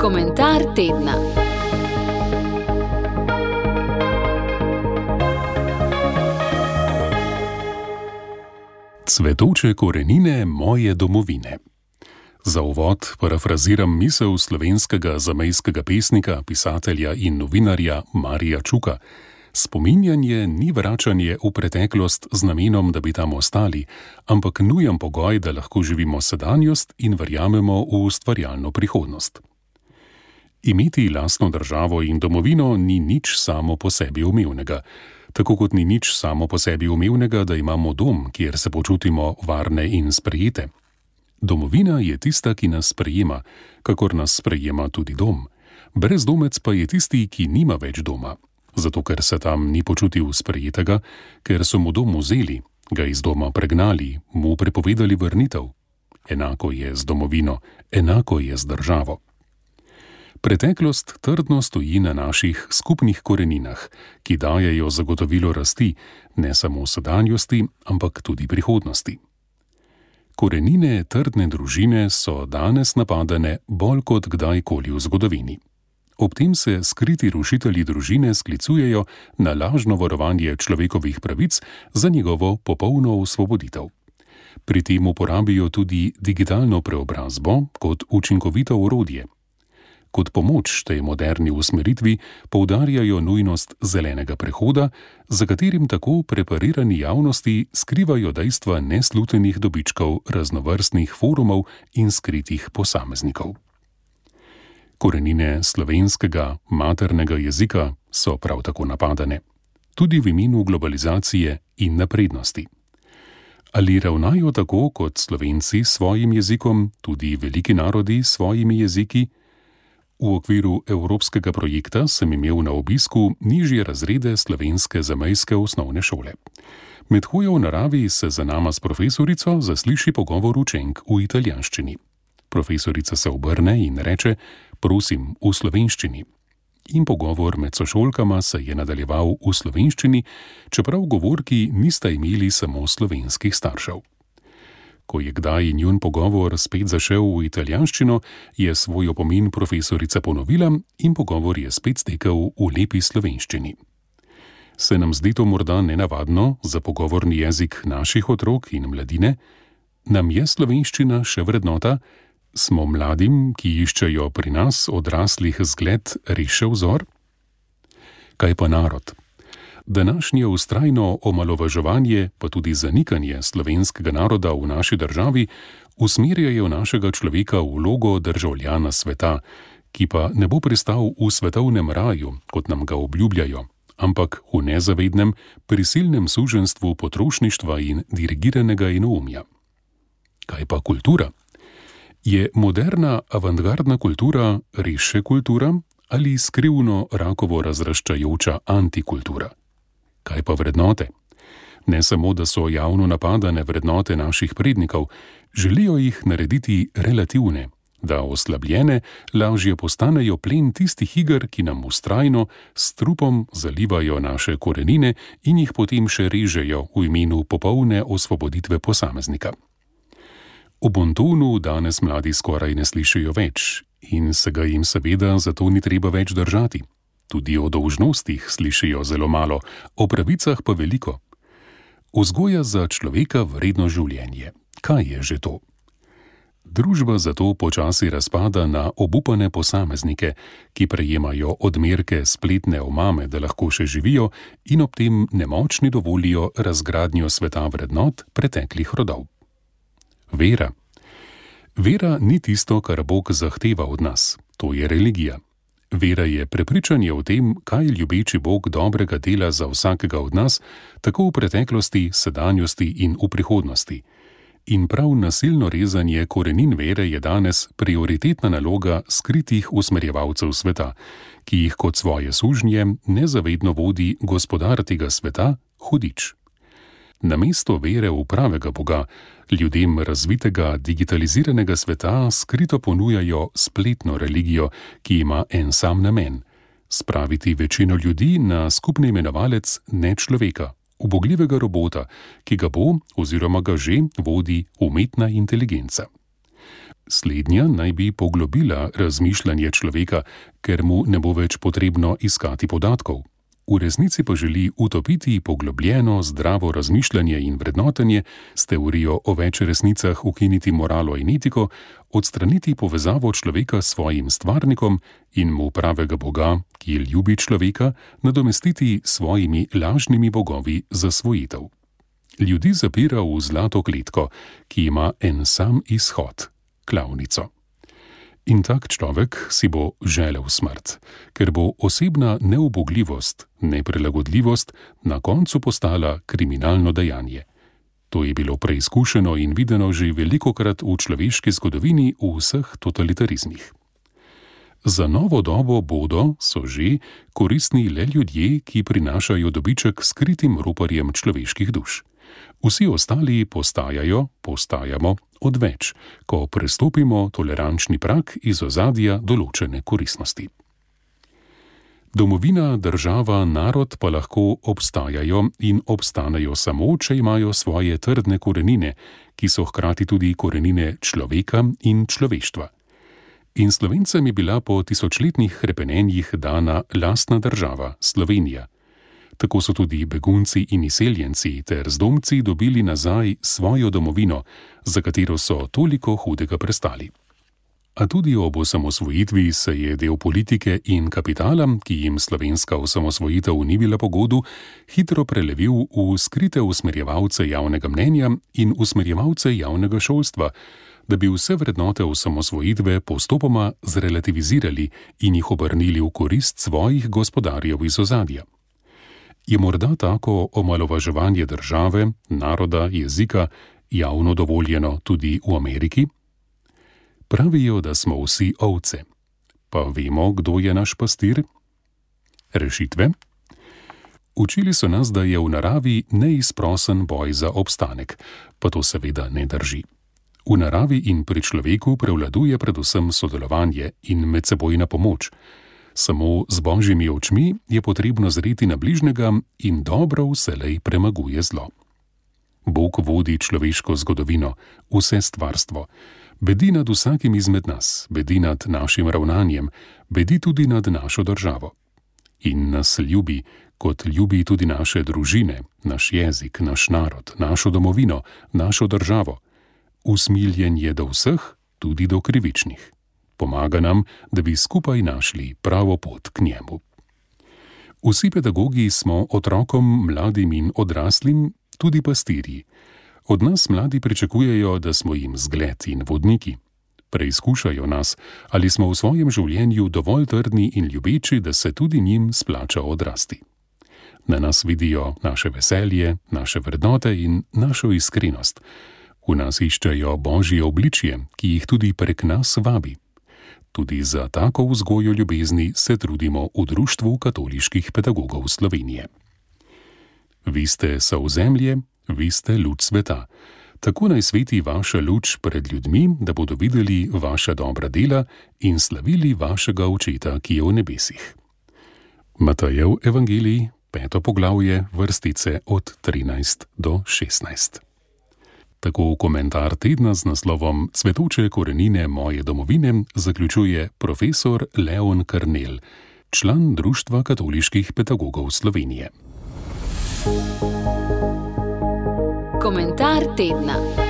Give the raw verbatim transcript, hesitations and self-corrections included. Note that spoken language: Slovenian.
Komentar tedna. Cvetoče korenine moje domovine. Za uvod parafraziram misel slovenskega zamejskega pesnika, pisatelja in novinarja Marija Čuka. Spominjanje ni vračanje v preteklost z namenom, da bi tam ostali, ampak nujen pogoj, da lahko živimo sedanjost in verjamemo v ustvarjalno prihodnost. Imeti lastno državo in domovino ni nič samo po sebi umevnega. Tako kot ni nič samo po sebi umevnega, da imamo dom, kjer se počutimo varne in sprejete. Domovina je tista, ki nas sprejema, kakor nas sprejema tudi dom. Brezdomec pa je tisti, ki nima več doma. Zato, ker se tam ni počutil sprejetega, ker so mu dom vzeli, ga iz doma pregnali, mu prepovedali vrnitev. Enako je z domovino, enako je z državo. Preteklost trdno stoji na naših skupnih koreninah, ki dajejo zagotovilo rasti, ne samo sedanjosti, ampak tudi prihodnosti. Korenine trdne družine so danes napadane bolj kot kdajkoli v zgodovini. Ob tem se skriti rušitelji družine sklicujejo na lažno varovanje človekovih pravic za njegovo popolno osvoboditev. Pri tem uporabijo tudi digitalno preobrazbo kot učinkovito orodje. Kot pomoč tej moderni usmeritvi poudarjajo nujnost zelenega prehoda, za katerim tako preparirani javnosti skrivajo dejstva neslutenih dobičkov raznovrstnih forumov in skritih posameznikov. Korenine slovenskega maternega jezika so prav tako napadane, tudi v imenu globalizacije in naprednosti. Ali ravnajo tako kot Slovenci s svojim jezikom, tudi veliki narodi s svojimi jeziki? V okviru evropskega projekta sem imel na obisku nižje razrede slovenske zamejske osnovne šole. Med hojo v naravi se za nama s profesorico zasliši pogovor učenk v italijanščini. Profesorica se obrne in reče: prosim, v slovenščini. In pogovor med sošolkama se je nadaljeval v slovenščini, čeprav govorki nista imeli samo slovenskih staršev. Ko je kdaj njun pogovor spet zašel v italijanščino, je svoj opomin profesorica ponovila in pogovor je spet stekel v lepi slovenščini. Se nam zdi to morda nenavadno za pogovorni jezik naših otrok in mladine? Nam je slovenščina še vrednota? Smo mladim, ki iščejo pri nas odraslih zgled, res še vzor? Kaj pa narod? Današnje vztrajno omalovaževanje, pa tudi zanikanje slovenskega naroda v naši državi, usmerjajo našega človeka v vlogo državljana sveta, ki pa ne bo pristal v svetovnem raju, kot nam ga obljubljajo, ampak v nezavednem, prisilnem suženjstvu potrošništva in dirigiranega enoumja. Kaj pa kultura? Je moderna avantgardna kultura res še kultura ali skrivno rakovo razraščajoča antikultura? Kaj pa vrednote? Ne samo, da so javno napadane vrednote naših prednikov, želijo jih narediti relativne, da oslabljene lažje postanejo plen tistih iger, ki nam vztrajno s trupom zalivajo naše korenine in jih potem še režejo v imenu popolne osvoboditve posameznika. O bontonu danes mladi skoraj ne slišijo več in se ga jim seveda zato ni treba več držati. Tudi o dolžnostih slišijo zelo malo, o pravicah pa veliko. Vzgoja za človeka vredno življenje. Kaj je že to? Družba zato počasi razpada na obupane posameznike, ki prejemajo odmerke spletne omame, da lahko še živijo in ob tem nemočni dovolijo razgradnjo sveta vrednot preteklih rodov. Vera. Vera ni tisto, kar Bog zahteva od nas. To je religija. Vera je prepričanje o tem, kaj ljubeči Bog dobrega dela za vsakega od nas, tako v preteklosti, sedanjosti in v prihodnosti. In prav nasilno rezanje korenin vere je danes prioritetna naloga skritih usmerjevalcev sveta, ki jih kot svoje sužnje nezavedno vodi gospodar tega sveta, hudič. Namesto vere v pravega Boga, ljudem razvitega digitaliziranega sveta skrito ponujajo spletno religijo, ki ima en sam namen: spraviti večino ljudi na skupni imenovalec nečloveka, ubogljivega robota, ki ga bo oziroma ga že vodi umetna inteligenca. Slednja naj bi poglobila razmišljanje človeka, ker mu ne bo več potrebno iskati podatkov. V resnici pa želi utopiti poglobljeno, zdravo razmišljanje in vrednotenje, s teorijo o več resnicah ukiniti moralo in etiko, odstraniti povezavo človeka s svojim stvarnikom in mu pravega Boga, ki ljubi človeka, nadomestiti s svojimi lažnimi bogovi zasvojitev. Ljudi zapira v zlato kletko, ki ima en sam izhod – klavnico. In tak človek si bo želel smrt, ker bo osebna neubogljivost, neprilagodljivost na koncu postala kriminalno dejanje. To je bilo preizkušeno in videno že velikokrat v človeški zgodovini v vseh totalitarizmih. Za novo dobo bodo, so že, koristni le ljudje, ki prinašajo dobiček skritim roparjem človeških duš. Vsi ostali postajajo, postajamo odveč, ko prestopimo tolerančni prag iz ozadja določene koristnosti. Domovina, država, narod pa lahko obstajajo in obstanejo samo, če imajo svoje trdne korenine, ki so hkrati tudi korenine človeka in človeštva. In Slovencem je bila po tisočletnih hrepenenjih dana lastna država, Slovenija. Tako so tudi begunci in izseljenci ter zdomci dobili nazaj svojo domovino, za katero so toliko hudega prestali. A tudi ob osamosvojitvi se je del politike in kapitala, ki jim slovenska osamosvojitev ni bila po godu, hitro prelevil v skrite usmerjevalce javnega mnenja in usmerjevalce javnega šolstva, da bi vse vrednote osamosvojitve postopoma zrelativizirali in jih obrnili v korist svojih gospodarjev iz ozadja. Je morda tako omalovaževanje države, naroda, jezika javno dovoljeno tudi v Ameriki? Pravijo, da smo vsi ovce. Pa vemo, kdo je naš pastir? Rešitve? Učili so nas, da je v naravi neizprosen boj za obstanek, pa to seveda ne drži. V naravi in pri človeku prevladuje predvsem sodelovanje in medsebojna pomoč. Samo z božjimi očmi je potrebno zreti na bližnjega in dobro vselej premaguje zlo. Bog vodi človeško zgodovino, vse stvarstvo. Bedi nad vsakim izmed nas, bedi nad našim ravnanjem, bedi tudi nad našo državo. In nas ljubi, kot ljubi tudi naše družine, naš jezik, naš narod, našo domovino, našo državo. Usmiljen je do vseh, tudi do krivičnih. Pomaga nam, da bi skupaj našli pravo pot k njemu. Vsi pedagogi smo otrokom, mladim in odraslim tudi pastirji. Od nas mladi pričakujejo, da smo jim zgled in vodniki. Preizkušajo nas, ali smo v svojem življenju dovolj trdni in ljubeči, da se tudi njim splača odrasti. Na nas vidijo naše veselje, naše vrednote in našo iskrenost. V nas iščejo božje obličje, ki jih tudi prek nas vabi. Tudi za tako vzgojo ljubezni se trudimo v Društvu katoliških pedagogov Slovenije. Vi ste solzemlje, vi ste luč sveta. Tako naj sveti vaša luč pred ljudmi, da bodo videli vaša dobra dela in slavili vašega Očeta, ki je v nebesih. Matejev evangelij, peto poglavje, vrstice od trinajst do šestnajst. Tako komentar tedna z naslovom Cvetoče korenine moje domovine zaključuje profesor Leon Karnel, član Društva katoliških pedagogov Slovenije. Komentar tedna.